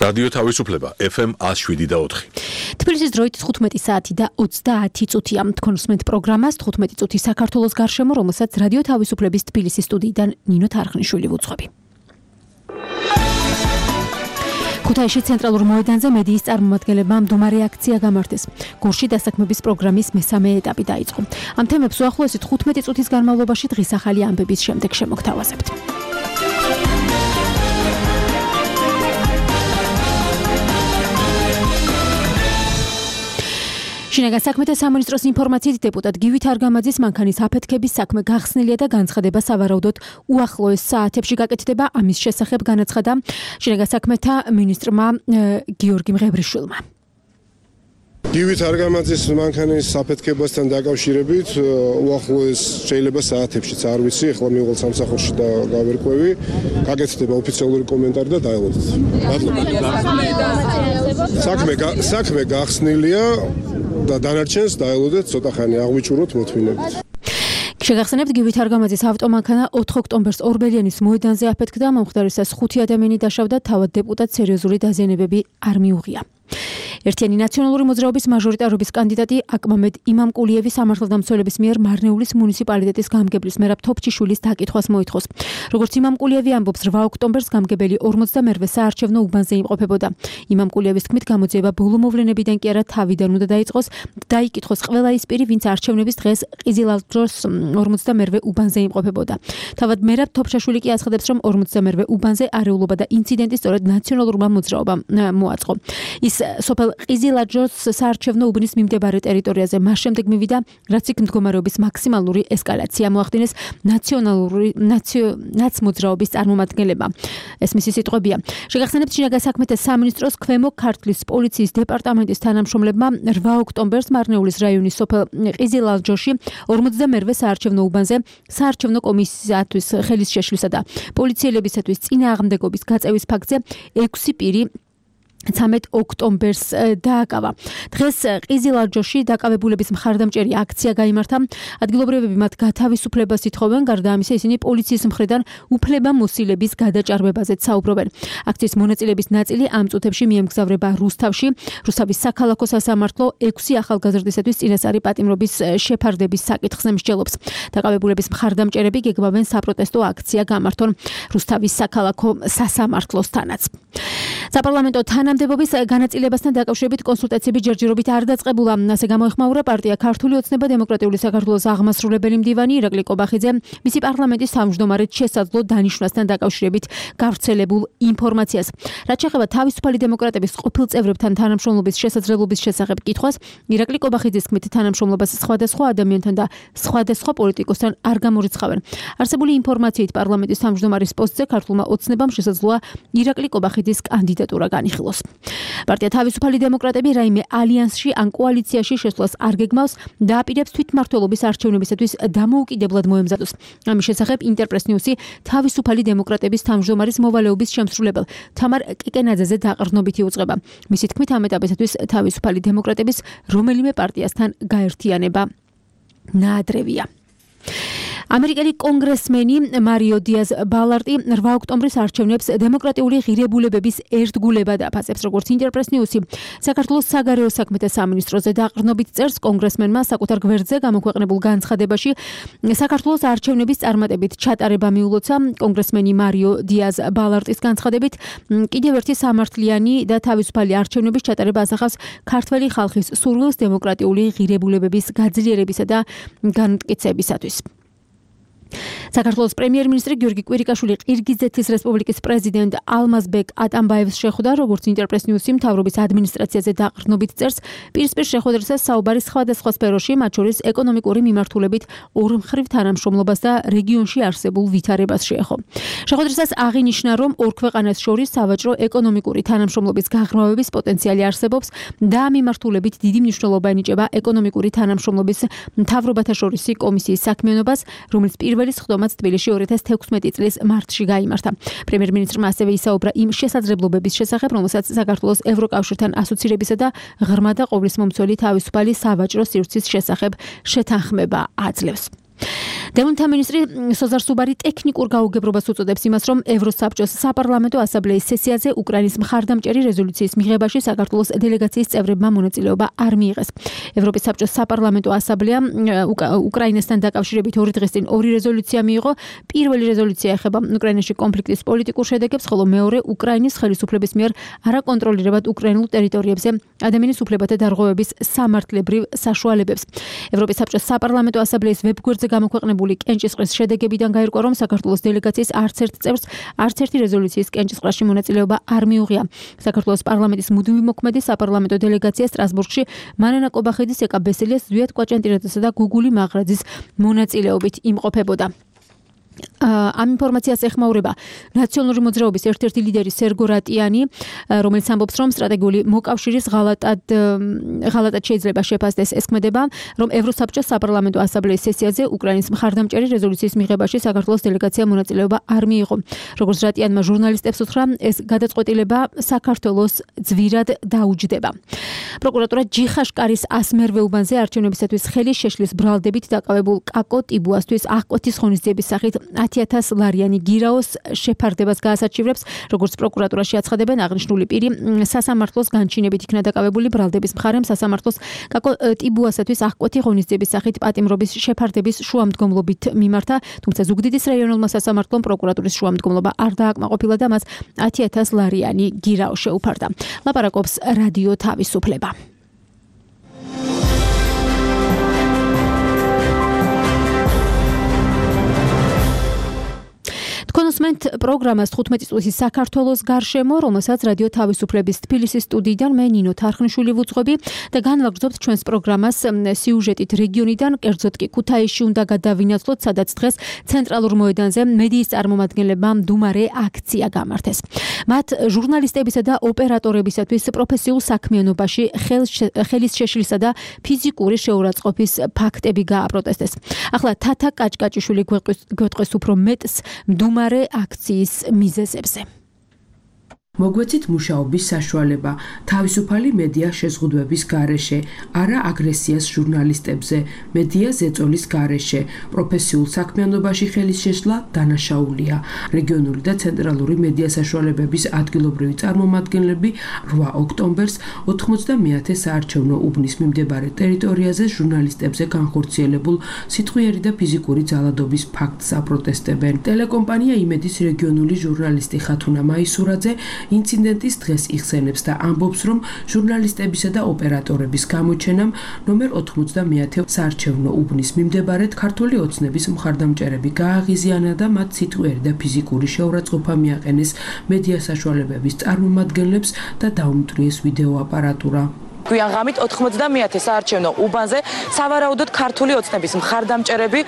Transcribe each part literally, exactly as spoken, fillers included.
რადიო თავისუფლება ეფ ემ one oh seven და four. თბილისის დროით თხუთმეტი საათი და ოცდაათი წუთია. თქვენ უსმენთ პროგრამას თხუთმეტი წუთი საქართველოს გარშემო, რომელსაც რადიო თავისუფლების თბილისის სტუდიიდან ნინო თარხნიშვილი ვუძღვები. ქუთაისში ცენტრალურ მოედანზე მედიის წარმომადგენლებმა მდგომარე აქცია გამართეს. გურში დასაქმების პროგრამის მესამე ეტაპი დაიწყო. ამ თემებს უახლოესი თხუთმეტი წუთის განმავლობაში დღის ახალი ამბების შემდეგ შემოგთავაზებთ. შინაგან საქმეთა სამინისტროს ინფორმაციით დეპუტატ გივით არგამაძის მანქანის აფეთქების საქმე გახსნილია და განცხადება სავარაუდოდ უახლოეს საათებში გაკეთდება. ამის შესახებ განაცხადა შინაგან საქმეთა მინისტრმა გიორგი მღევრიშვილმა. გივით არგამაძის მანქანის აფეთქებასთან დაკავშირებით უახლოეს შეიძლება საათებშიც არ ვიცი, ახლა მივიღალ სამსახურში და გავერკვევი, გაკეთდება ოფიციალური კომენტარი და დაელოდეთ. საქმე საქმე გახსნილია და დანარჩენს დაელოდეთ, ცოტა ხანი აღვიჭუროთ მოთმინებით. შეგახსენებთ, გივით არგამაძის ავტომანქანა ოთხ ოქტომბერს ორბელიანის მოედანზე აფეთქდა, მომხდარისას ხუთი ადამიანი დაშავდა, თავად დეპუტატს სერიოზული დაზიანებები არ მიუღია. ერთიანი ნაციონალური მოძრაობის მაჟორიტარობის კანდიდატი აკმამედ იმამკულიევი სამართალდამცველების მიერ მარნეულის მუნიციპალიტეტის გამგებლის მერაბ თოფჩიშვილის დაკითხვას მოითხოვს. როგორც იმამკულიევი ამბობს, რვა ოქტომბერს გამგებელი ორმოცდამერვე საარჩევნო უბანზე იმყოფებოდა. იმამკულიევის თქმით, გამოძიება ბოლო მოვლენებიდან კი არა თავიდან უნდა დაიწყოს, დაიკითხოს ყველა ის პირი, ვინც არჩევნების დღეს ყიზილალჯოს ორმოცდამერვე უბანზე იმყოფებოდა. თავად მერაბ თოფჩაშვილი კი აცხადებს, რომ ორმოცდამერვე უბანზე არეულობა და ინციდენტი სწორედ ნაციონალურმა მოძრაობამ მოაწყო. ის სოფელ ყიზილაჯოს საარჩევნო უბნის მიმდებარე ტერიტორიაზე მას შემდეგ მივიდა, რაც იქ მდგომარეობის მაქსიმალური ესკალაცია მოახდინეს ნაციონალური ნაცმოძრაობის წარმომადგენლებმა. ეს მისი სიტყვებია. შეგახსენებთ, შინაგან საქმეთა სამინისტროს ქვემო ქართლის პოლიციის დეპარტამენტის თანამშრომლებმა რვა ოქტომბერს მარნეულის რაიონის სოფელ ყიზილაჯოში ორმოცდამერვე საარჩევნო უბანზე საარჩევნო კომისიისათვის ხელის შეშლისა და პოლიციელებისათვის წინააღმდეგობის გაწევის ფაქტზე ექვსი პირი ცამეტ ოქტომბერს დააკავა. დღეს ყიზილაჯოში დაკავებულების მხარდამჭერი აქცია გაიმართა. ადგილობრივები მათ გათავისუფლებას ითხოვენ, გარდა ამისა ისინი პოლიციის მხრიდან უფლებამოსილების გადაჭარბებაზეც საუბრობენ. აქციის მონაწილეების ნაწილი ამ წუთებში მიემგზავრება რუსთავში. რუსთავის საქალაქო სასამართლო ექვსი ახალგაზრდისათვის წინასწარი პატიმრობის შეფარდების საკითხს მსჯელობს. დაკავებულების მხარდამჭერები გეგმავენ საპროტესტო აქცია გამართონ რუსთავის საქალაქო სასამართლოსთანაც. საპარლამენტო თანამდებობის განაწილებასთან დაკავშირებით კონსულტაციები ჯერჯერობით არ დაწყებულა. ასე გამოეხმაურა პარტია ქართული ოცნება დემოკრატიული საქართველოს აღმასრულებელი მდივანი ირაკლი კობახიძე მისი პარლამენტის თავმჯდომარედ შესაძლო დანიშვნასთან დაკავშირებით გავრცელებულ ინფორმაციას. რაც შეეხება თავისუფალი დემოკრატების ყოფილ წევრებთან თანამშრომლობის შესაძლებლობის შესახებ კითხვას, ირაკლი კობახიძის თქმით, თანამშრომლობას სხვადასხვა ადამიანთან და სხვადასხვა პოლიტიკოსთან არ გამორიცხავენ. არსებული ინფორმაციით პარლამენტის თავმჯდომარის პოსტზე ქართულმა ოცნებამ შესაძლოა ირაკლი კობახიძის კანდიდატურა განიხილოს. პარტია თავისუფალი დემოკრატები რაიმე ალიანსში ან კოალიციაში შესვლას არ გეგმავს და აპირებს თვითმმართველობის არჩევნებისათვის დამოუკიდებლად მოემზადოს. ამის შესახებ ინტერპრეს ნიუსი თავისუფალი დემოკრატების თავმჯდომარის მოვალეობის შემსრულებელ თამარ კიკენაძეზე დაყრდნობით იუწყება. მისი თქმით, ამ ეტაპისათვის თავისუფალი დემოკრატების რომელიმე პარტიასთან გაერთიანება ნაადრევია. ამერიკელი კონგრესმენი მარიო დიაზ ბალარტი რვა ოქტომბრის არჩევნებს დემოკრატიული ღირებულებების ერთგულებად აფასებს. როგორც ინტერპრეს ნიუსი საქართველოს საგარეო საქმეთა სამინისტროზე დაყრდნობით წერს, კონგრესმენმა საკუთარ გვერდზე გამოქვეყნებულ განცხადებაში საქართველოს არჩევნების წარმატებით ჩატარება მიულოცა. კონგრესმენი მარიო დიაზ ბალარტის განცხადებით, კიდევ ერთი სამართლიანი და თავისუფალი არჩევნების ჩატარება ასახავს ქართველი ხალხის სურვილს დემოკრატიული ღირებულებების გაძლიერებისა და განმტკიცებისათვის. საქართველოს პრემიერ-მინისტრი გიორგი კვირიკაშვილი ყირგიზეთის რესპუბლიკის პრეზიდენტ ალმაზბეკ ატამბაევს შეხვდა, როგორც ინტერპრეს ნიუსი მთავრობის ადმინისტრაციაზე დაყრდნობით წერს, პირისპირ შეხვედრისას საუბარი სხვადასხვა სფეროში, მათ შორის ეკონომიკური მიმართულებით ორმხრივ თანამშრომლობას და რეგიონში არსებულ ვითარებას შეეხო. შეხვედრისას აღინიშნა, რომ ორ ქვეყანას შორის სავაჭრო ეკონომიკური თანამშრომლობის გაღრმავების პოტენციალი არსებობს და ამ მიმართულებით დიდი მნიშვნელობა ენიჭება ეკონომიკური თანამშრომლობის მთავრობათა შორისი კომისიის საქმიანობას, რომელიც პირველი სხდომაც თბილისში ორი ათას თექვსმეტი წლის მარტში გაიმართა. პრემიერ-მინისტრმა ასევე ისაუბრა იმ შესაძლებლობების შესახებ, რომელსაც საქართველოს ევროკავშირთან ასოცირებისა და ღრმა და ყოვლისმომცველი თავისუფალი სავაჭრო სივრცის შესახებ შეთანხმება აძლევს. დევნთა მინისტრი სოზარ სუბარი ტექნიკურ გაუგებრობას უწოდებს იმას, რომ ევროსაბჭოს საპარლამენტო ასამბლეის სესიაზე უკრაინის მხარდამჭერი რეზოლუციის მიღებაში საქართველოს დელეგაციის წევრებმა მონაწილეობა არ მიიღეს. ევროპის საბჭოს საპარლამენტო ასამბლეა უკრაინასთან დაკავშირებით ორი დღის წინ ორი რეზოლუცია მიიღო. პირველი რეზოლუცია ეხება უკრაინაში კონფლიქტის პოლიტიკურ შედეგებს, ხოლო მეორე უკრაინის ხელისუფლების მიერ არაკონტროლირებად უკრაინულ ტერიტორიებზე ადამიანის უფლებათა დარღვევების სამართლებრივ საშუალებებს. ევროპის საბჭოს საპარლამენტო ასამბლეის ვებგვერდზე გამოქვეყნებული კენჭისყრის შედეგებიდან გაირკვა, რომ საქართველოს დელეგაციის არც ერთ წევრს არც ერთი რეზოლუციის კენჭისყრაში მონაწილეობა არ მიუღია. საქართველოს პარლამენტის მუდმივი მოქმედი საპარლამენტო დელეგაცია სტრასბურგში მანანა კობახიძის, ეკა ბესელიას, ზვიად კვაჭანტირაძესა და გუგული მაღრაძის მონაწილეობით იმყოფებოდა. ამ ინფორმაციას ეხმაურება ნაციონალური მოძრაობის ერთ-ერთი ლიდერი სერგო რატიანი, რომელიც ამბობს, რომ სტრატეგიული მოკავშირის ღალატად ღალატად შეიძლება შეფასდეს. ეს ქმედება, რომ ევროსაბჭოს საპარლამენტო ასამბლეის სესიაზე უკრაინის მხარდამჭერი რეზოლუციის მიღებაში საქართველოს დელეგაცია მონაწილეობა არ მიიღო. როგორც რატიანმა ჟურნალისტებს უთხრა, ეს გადაწყვეტილება საქართველოს ძვირად დაუჯდება. პროკურატურა ჯიხაშკარის ასმერვე უბანზე არჩევნებისათვის ხელის შეშლის ბრალდებით დაკავებულ კაკო ტიბუასთვის აღკვეთის ღონისძიების სახით ათი ათას ლარიანი გირაოს შეფარდებას გაასაჩივრებს. როგორც პროკურატურაში აცხადებენ, აღნიშნული პირი სასამართლოს განჩინებით იქნა დაკავებული. ბრალდების მხარემ სასამართლოს კაკო ტიბუასათვის აღკვეთი ღონისძიების სახით პატიმრობის შეფარდების შუამდგომლობით მიმართა, თუმცა ზუგდიდის რაიონულმა სასამართლომ პროკურატურის შუამდგომლობა არ დააკმაყოფილა და მას ათი ათას ლარიანი გირაო შეუფარდა. ლაპარაკობს რადიო თავისუფლება. კონსმენტ პროგრამას თხუთმეტი წუთი საქართველოს გარშემო, რომელსაც რადიო თავისუფლების თბილისის სტუდიიდან მე ნინო თარხნიშვილი ვუძღვები და განვაგრძობთ ჩვენს პროგრამას სიუჟეტით რეგიონიდან, კერძოდ კი ქუთაისში უნდა გადავინაცვლოთ, სადაც დღეს ცენტრალურ მოედანზე მედიის წარმომადგენლებმა მდუმარე აქცია გამართეს. მათ ჟურნალისტებისა და ოპერატორებისათვის პროფესიულ საქმიანობაში ხელის შეშლისა და ფიზიკური შეურაცხყოფის ფაქტები გააპროტესტეს. ახლა თათა კაჭკაჭიშვილი გვეტყვის უფრო მეტს მდუმარე აქციის მიზეზებზე. მოგვეცით მუშაობის საშუალება, თავისუფალი მედია შეზღუდვების გარეშე, არა აგრესიას ჟურნალისტებზე, მედია ზეწოლის გარეშე, პროფესიულ საქმიანობაში ხელის შეშლა დანაშაულია. რეგიონული და ცენტრალური მედია საშუალებების ადგილობრივი წარმომადგენლები რვა ოქტომბერს ოთხმოცდამეათე საარჩევნო უბნის მიმდებარე ტერიტორიაზე ჟურნალისტებზე განხორციელებულ სიტყვიერი და ფიზიკური ძალადობის ფაქტს აპროტესტებენ. ტელეკომპანია იმედის რეგიონული ჟურნალისტი ხათუნა მაისურაძე ინციდენტის დღეს იხსენებს და ამბობს, რომ ჟურნალისტებისა და ოპერატორების გამოჩენამ ნომერ ოთხმოცდამეათე საარჩევნო უბნის მიმდებარედ ქართული ოცნების მხარდამჭერები გააღიზიანა და მათ სიტყვიერი და ფიზიკური შეურაცხყოფა მიაყენეს მედია საშუალებების წარმომადგენლებს და დაუმტვრიეს ვიდეო აპარატურა. გვიან ღამით ოთხმოცდამეათე საარჩევნო უბანზე სავარაუდოდ ქართული ოცნების მხარდამჭერები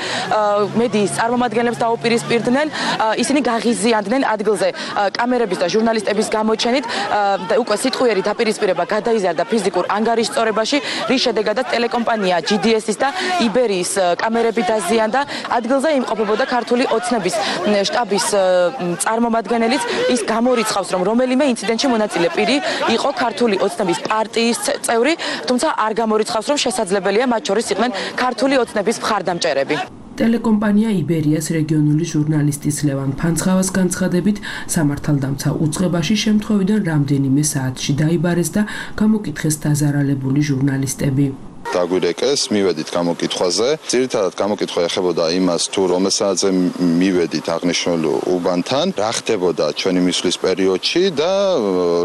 მედიის წარმომადგენლებს დაუპირისპირდნენ, ისინი გაღიზიანდნენ ადგილზე კამერების და ჟურნალისტების გამოჩენით, უკვე სიტყვიერი დაპირისპირება გადაიზარდა ფიზიკურ ანგარიშწორებაში, რის შედეგადაც ტელეკომპანია ჯი დი ეს-ის და იბერიის კამერები დაზიანდა. ადგილზე იმყოფებოდა ქართული ოცნების შტაბის წარმომადგენელიც, ის გამორიცხავს, რომ რომელიმე ინციდენტში მონაწილე პირი იყო ქართული ოცნების პარტიის წევრი, თუმცა არ გამორიცხავს, რომ შესაძლებელია მათ შორის იყვნენ ქართული ოცნების მხარდამჭერები. ტელეკომპანია იბერიას რეგიონული ჟურნალისტის ლევან ფანცხავას განცხადებით, სამართალდამცა უწყებაში შემთხვევიდან რამდენიმე საათში დაიბარეს და გამოკითხეს დაზარალებული ჟურნალისტები. დაგვირეკეს, მივედით გამოკითხვაზე. ძირითადად გამოკითხვა ეხებოდა იმას, თუ რომელ საათზე მივედით აღნიშნულ უბანთან, რა ხდებოდა ჩვენი მისვლის პერიოდში და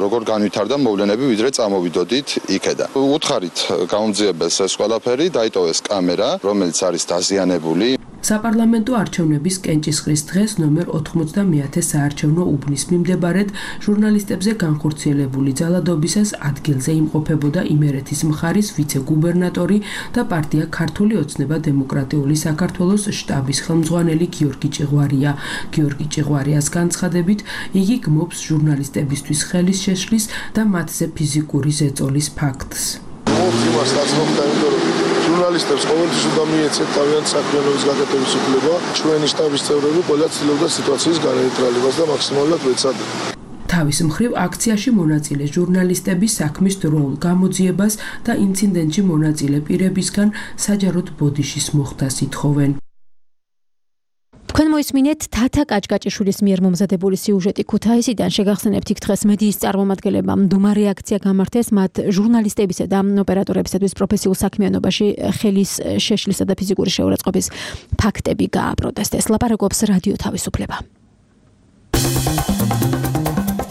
როგორ განვითარდა მოვლენები, ვიდრე წამოვიდოდით იქედან. უთხარით გამოძიებელს ეს ყველაფერი, დაიტოვეს კამერა, რომელიც არის დაზიანებული. საპარლამენტო არჩევნების კენჭისყრის დღეს ნომერ ოთხმოცდამეათე საარჩევნო უბნის მიმდებარედ ჟურნალისტებზე განხორციელებული ძალადობისას ადგილზე იმყოფებოდა იმერეთის მხარის ვიცე-გუბერნატორი და პარტია ქართული ოცნება დემოკრატიული საქართველოს შტაბის ხელმძღვანელი გიორგი ჭიღვარია. გიორგი ჭიღვარიას განცხადებით, იგი გმობს ჟურნალისტებისთვის ხელის შეშლის და მათზე ფიზიკური ზეწოლის ფაქტს. ჟურნალისტებს ყოველთვის უნდა მიეცეთ თავიანთი საქმიანობის გაკეთების უფლება. ჩვენი შტაბის წევრები ყველა ცდილობდა სიტუაციის განეიტრალებას და მაქსიმალურად ვეცადნენ. თავის მხრივ აქციაში მონაწილე ჟურნალისტები საქმის დროულ გამოძიებას და ინციდენტში მონაწილე პირებისგან საჯაროდ ბოდიშის მოხდას ითხოვენ. თქვენ მოისმინეთ თათა კაჭკაჭიშვილის მიერ მომზადებული სიუჟეტი ქუთაისიდან. შეგახსენებთ იქ დღეს მედიის წარმომადგენლებმა მდუმარე აქცია გამართეს მათ ჟურნალისტებისა და ოპერატორებისათვის პროფესიულ საქმიანობაში ხელის შეშლისა და ფიზიკური შეურაცხყოფის ფაქტები გააპროტესტეს. ლაპარაკობს რადიო თავისუფლება.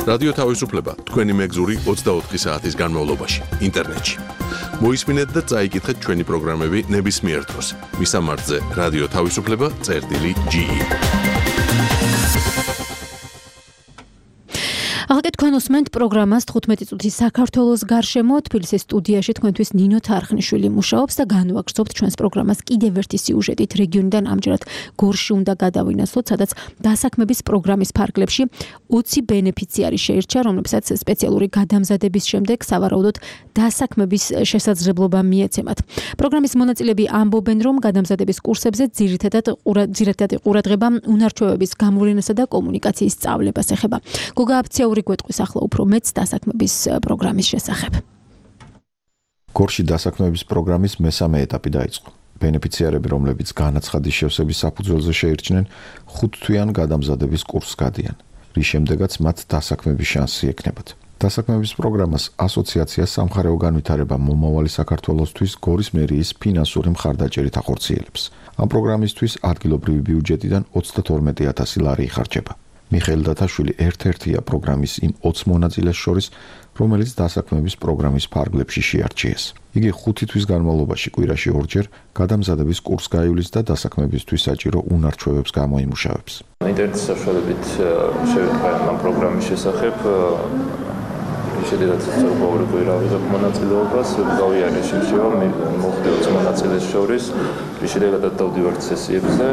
რადიო თავისუფლება თქვენი მეგზური ოცდაოთხი საათის განმავლობაში ინტერნეტში. მოისმინეთ და წაიკითხეთ ჩვენი პროგრამები ნებისმიერ დროს. მისამართზე რადიო თავისუფლება წერტილი ჯი. ახლა თქვენ უსმენთ პროგრამას თხუთმეტი წუთის საქართველოს გარშემო. თბილისის სტუდიაში თქვენთვის ნინო თარხნიშვილი მუშაობს და განვაგრძობთ ჩვენს პროგრამას კიდევ ერთი სიუჟეტით. რეგიონიდან ამჯერად გორში უნდა გადავინაცვლოთ, სადაც დასაქმების პროგრამის ფარგლებში ოცი ბენეფიციარი შეირჩა, რომლებსაც სპეციალური გადამზადების შემდეგ სავარაუდოდ დასაქმების შესაძლებლობა მიეცემათ. პროგრამის მონაწილეები ამბობენ, რომ გადამზადების კურსებზე ძირითადად ძირითადად ყურადღება უნარჩვევების გამოვლენასა და კომუნიკაციის სწავლებას ეხება. გოგა აფციური გვეტყვის ახლა უფრო მეც დასაქმების პროგრამის შესახებ. გორში დასაქმების პროგრამის მესამე ეტაპი დაიწყო. ბენეფიციარები, რომლებიც განაცხადის შევსების საფუძველზე შეირჩნენ, ხუთთვიან გადამზადების კურსს გადიან, რის შემდეგაც მათ დასაქმების შანსი ექნებათ. დასაქმების პროგრამას ასოციაცია სამხარეო განვითარება მომავალი საქართველოსთვის გორის მერიის ფინანსური მხარდაჭერით ახორციელებს. ამ პროგრამისთვის ადგილობრივი ბიუჯეტიდან ოცდათორმეტი ათასი ლარი იხარჯება. მიხეილ დათაშვილი ერთ-ერთია პროგრამის იმ ოცი მონაწილეს შორის, რომელიც დასაქმების პროგრამის ფარგლებში შეარჩიეს. იგი ხუთი თვის განმავლობაში კვირაში ორჯერ გადამზადების კურსს გაივლის და დასაქმებისთვის საჭირო უნარჩვევებს გამოიმუშავებს. ინტერნეტის საშუალებით შევიტყვე ამ პროგრამის შესახებ. შედარებით სწორყოვი კვირა ვიღებ მონაწილეობას, გავიარე შეშევა მოხდა ოცი მონაწილეს შორის, რის შედეგადაც დავდივართ სესიებზე.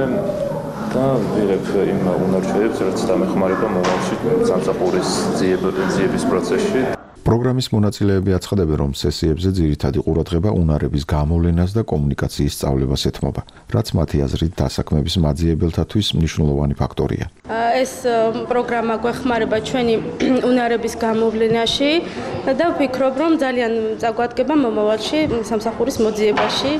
და ვიღებ იმ უნარჩვევებს, რაც დამეხმარება მომავალში სამსახურის ძიების პროცესში. პროგრამის მონაწილეები აცხადებენ, რომ სესიებზე ძირითადი ყურადღება უნარების გამოვლენას და კომუნიკაციის სწავლებას ეთმობა, რაც მათი აზრით დასაქმების მაძიებელთათვის მნიშვნელოვანი ფაქტორია. ეს პროგრამა გვეხმარება ჩვენი უნარების გამოვლენაში და ვფიქრობ, რომ ძალიან წაგვადგება მომავალში სამსახურის მოძიებაში.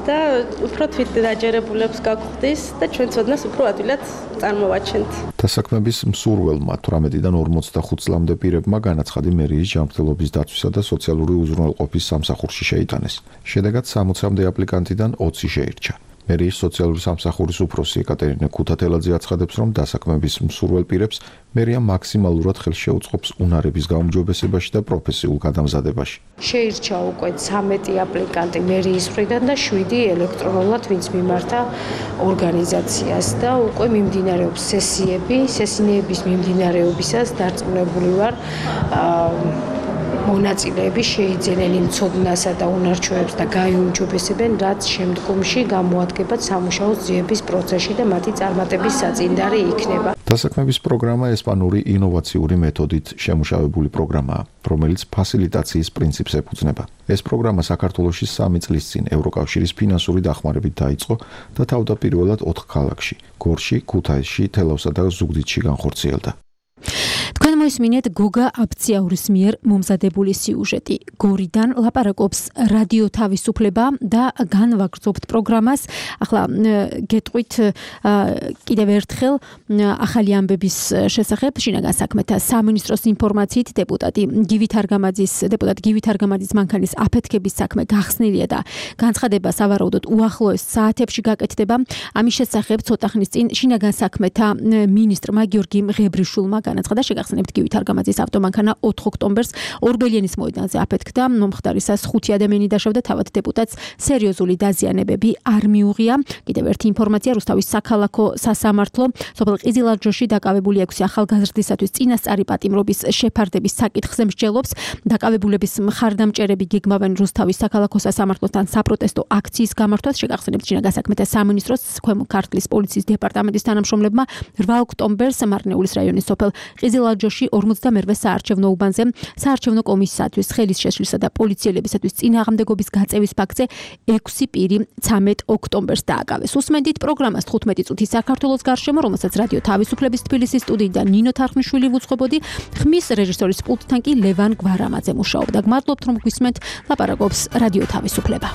და უფრო თვითდაჯერებულებს გაგხდის და ჩვენ ცოდნას უფრო ადვილად წარმოვაჩენთ. დასაქმების მსურველმა თვრამეტიდან ორმოცდახუთ წლამდე პირებმა განაცხადი მერიის ჯანმრთელობის დაცვისა და სოციალური უზრუნველყოფის სამსახურში შეიტანეს. შედეგად სამოცამდე აპლიკანტიდან ოცი შეირჩა. მერიის სოციალური სამსახურის უფროსი ეკატერინე ქუთათელაძე აცხადებს, რომ დასაქმების მსურველ პირებს მერია მაქსიმალურად ხელს შეუწყობს უნარების გაუმჯობესებაში და პროფესიულ გადამზადებაში. შეირჩა უკვე ცამეტი აპლიკანტი მერიის მხრიდან და შვიდი ელექტრონულად, ვინც მიმართა ორგანიზაციას და უკვე მიმდინარეობს სესიები, სესიების მიმდინარეობისას დარწმუნებული ვარ, მონაწილეები შეიძენენ იმ ცოდნასა და უნარჩვევებს და გაიუმჯობესებენ, რაც შემდგომში გამოადგებათ სამუშაო ძიების პროცესში და მათი წარმატების საწინდარი იქნება. დასაქმების პროგრამა ესპანური ინოვაციური მეთოდით შემუშავებული პროგრამაა, რომელიც ფასილიტაციის პრინციპს ეფუძნება. ეს პროგრამა საქართველოში სამი წლის წინ ევროკავშირის ფინანსური დახმარებით დაიწყო და თავდაპირველად ოთხ ქალაქში, გორში, ქუთაისში, თელავსა და ზუგდიდში განხორციელდა. თქვენ მოისმინეთ გოგა აფციაურის მიერ მომზადებული სიუჟეტი. გორიდან ლაპარაკობს რადიო თავისუფლება და განვაგრძობთ პროგრამას. ახლა გეტყვით კიდევ ერთხელ ახალი ამბების შესახებ. შინაგან საქმეთა სამინისტროს ინფორმაციით დეპუტატი გივით არგამაძის დეპუტატი გივით არგამაძის მანქანის აფეთქების საქმე გახსნილია და განცხადება სავარაუდოდ უახლოეს საათებში გაკეთდება. ამის შესახებ ცოტა ხნის წინ შინაგან საქმეთა მინისტრმა გიორგი მღებრიშვილმა განაცხადა, შეგახსენებთ გივით არგამაძის ავტომანქანა ოთხ ოქტომბერს ორბელიანის მოედანზე აფეთქდა. მომხდარისას ხუთი ადამიანი დაშავდა, თავად დეპუტატს სერიოზული დაზიანებები არ მიუღია. კიდევ ერთი ინფორმაცია, რუსთავის საქალაქო სასამართლო სოფელ ყიზილაძოში დაკავებული ექვსი ახალგაზრდისათვის წინასწარი პატიმრობის შეფარდების საკითხზე მსჯელობს. დაკავებულების მხარდამჭერები გეგმავენ რუსთავის საქალაქო სასამართლოსთან საპროტესტო აქციის გამართვას. შეგახსენებთ შინაგან საქმეთა სამინისტროს ქვემო ქართლის პოლიციის დეპარტამენტის თანამშრომლებმა რვა ოქტომბერს მარნეულის რაიონის სოფელ ყიზილაძოში ორმოცდამერვე საარჩევნო უბანზე საარჩევნო კომისიისათვის ხელის შეშლისა და პოლიციელებისათვის წინააღმდეგობის გაწევის ფაქტზე ექვსი პირი ცამეტ ოქტომბერს დააკავეს. უსმენდით პროგრამას თხუთმეტი წუთი საქართველოს გარშემო, რომელსაც რადიო თავისუფლების თბილისის სტუდიიდან ნინო თარხნიშვილი ვუძღვებოდი, ხმის რეჟისორის პულტთან კი ლევან გვარამაძე მუშაობდა. გმადლობთ, რომ გვისმენთ. ლაპარაკობს რადიო თავისუფლება.